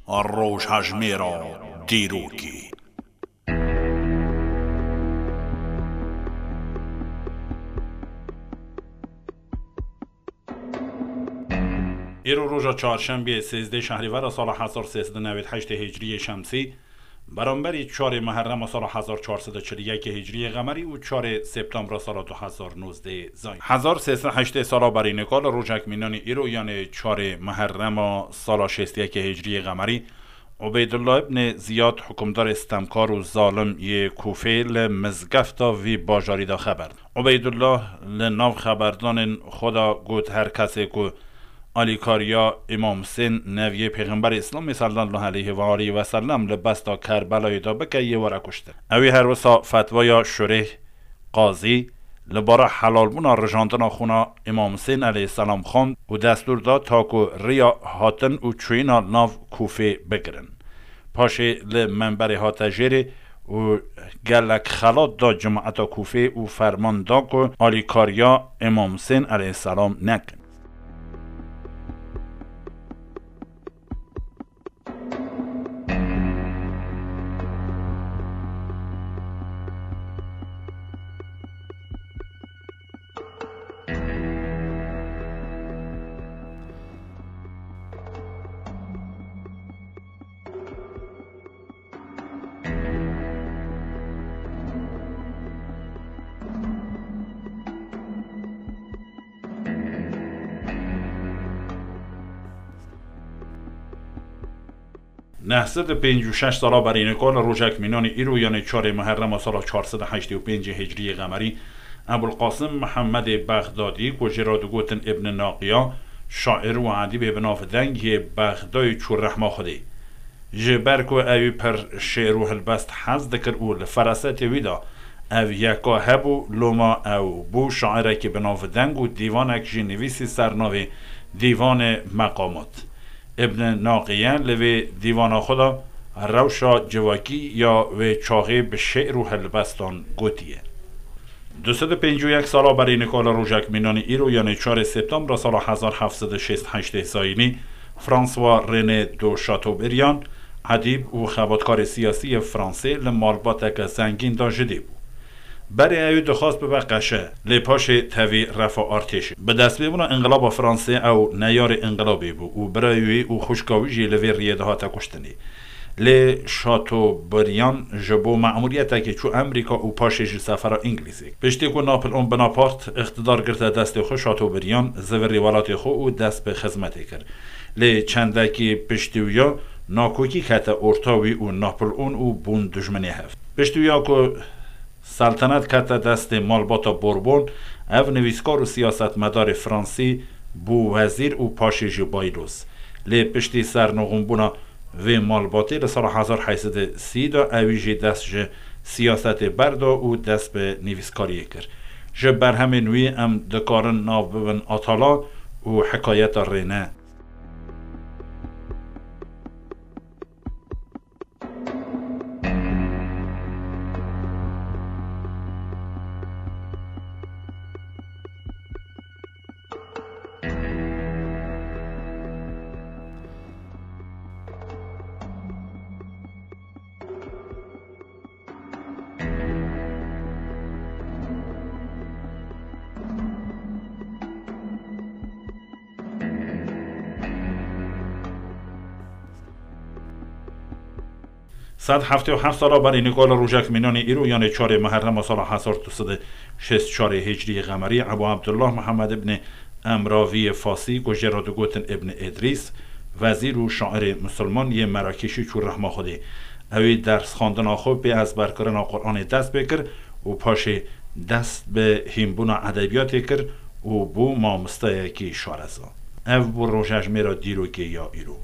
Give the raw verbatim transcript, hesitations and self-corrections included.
Rojhejmêra dîrokê. Îro roja çarşembiyê, sêzdeh şehrîvera sala hezar sê sed û newêd heştê hicriyê şemsî, beramberî çarê Muherrema sala hezar çar sed û çil û yekê hicriyê qemerî û çarê Septembra sala du hezar nozdeh zayîn. Hezar sê sed heştê sala berî nika li rojek mînanî îro, yanê çarê Muherrema sala şêst û yekê hicriyê qemerî, Ubeydullah ibnê Ziyad, hukimdarê stemkar û zalim yê Kûfê, li mizgefta vî bajarî de xeber da. Ubeydullah li nav xeberdanên xwe de got, her kesê ku alîkariya Îmam Husên, neviyê Pêxemberê Îslamê sallallahu aleyhi ve aleyhi ve sellem, li besta Kerbelayê de bike, yê were kuştin. Ew ê her wisa fetvaya şurêh, qazî, li bara helalbûna rijandina xûna Îmam Husên aleyhisselam xwend û destûr da ta ku riya hatin û çûyîna nav Kûfê bigirin. Paşê li menberê hate jêrê û gelek xelat da cemaeta Kûfê û ferman da ku alîkariya Îmam Husên aleyhisselam nekin. Neh sed û pêncî û şeş sala berî nika li rojek mînanî îro, yanê çarê Muherrema sala çar sed û heştê û pêncê hicriyê qemerî, Ebul Qasim Mihemedê Bexdadî, ku jê re digotin Ibn Naqiya, şair û edîbê bi nav deng yê Bexdayê çû rehma Xwedê. Ji ber ku ewî pir şêr û hilbest hez dikir û li ferasetê wî de ev yeka hebû, loma ew bû şairekî bi nav deng û dîvanek jî nivîsî ser navê Dîvanê Meqamat. Ibn Naqiye li vê dîvana xwe de rewşa civakî ya wê çaxê bi şêr û helbestan gotiye. Du sed û pêncî û yek sala berî nika li rojek mînanî îro, yanê çarê Septembra sala hezar heft sed û şêst heştê zayînî, François René de Chateaubriand, edîb û xebatkarê siyasî yê Fransê, li malbateke zengîn de ji dê bû. Berê ew dixwast bibe qeşe, lê paşê tevî refa artêşê. Bi destpêbûna Înqilaba Fransê ew neyarê înqilabê bû û birayê wî û xwişka wî jî li vê riyê de hate kuştinê. Lê Chateaubriand ji bo memûriyetekê çû Amerîka û paşê jî sefera Îngilîzê. Piştî ku Napoleon Bonaparte îqtidar girte destê xwe, Chateaubriand zivirî welatê xwe û dest bi xizmetê kir. Lê çendekî piştî wî ya nakokî kete orta wî û Napoleon û bûn dijminê hev. Piştî wî ya ku Seltenet kete destê malbata Bourbon, ev nivîskar û siyasetmedarê Fransî bû wezîr û paşê jî bayloz. Lê piştî sernixûnbûna vê malbatê li sala hezar heyt sed û sî de ewî jî dest ji siyasetê berda û dest bi nivîskariyê kir. Ji berhemên wî em dikarin nav bibin Atala û Hikayeta Rêne. Sed heftê û heft sala berî nika li rojek mînanê îro, yanê çarê Meherrema sala hezar du sed û şêst û çarê Hicriyê Qemerî, Ebû Ebdullah Mihemed ibnê Emraviyê Fasî, ku jê re digotin Ibn Îdrîs, wezîr û şairê misilman yê Merakêşî çû rehma Xwedê. Ewî dersxwendina xwe pê ezberkirina Quranê dest pê kir û paşê dest bi hînbûna edebiyatê kir û bû mamosteyekî şareza. Ev bû rojejmêra dîrokê ya îro.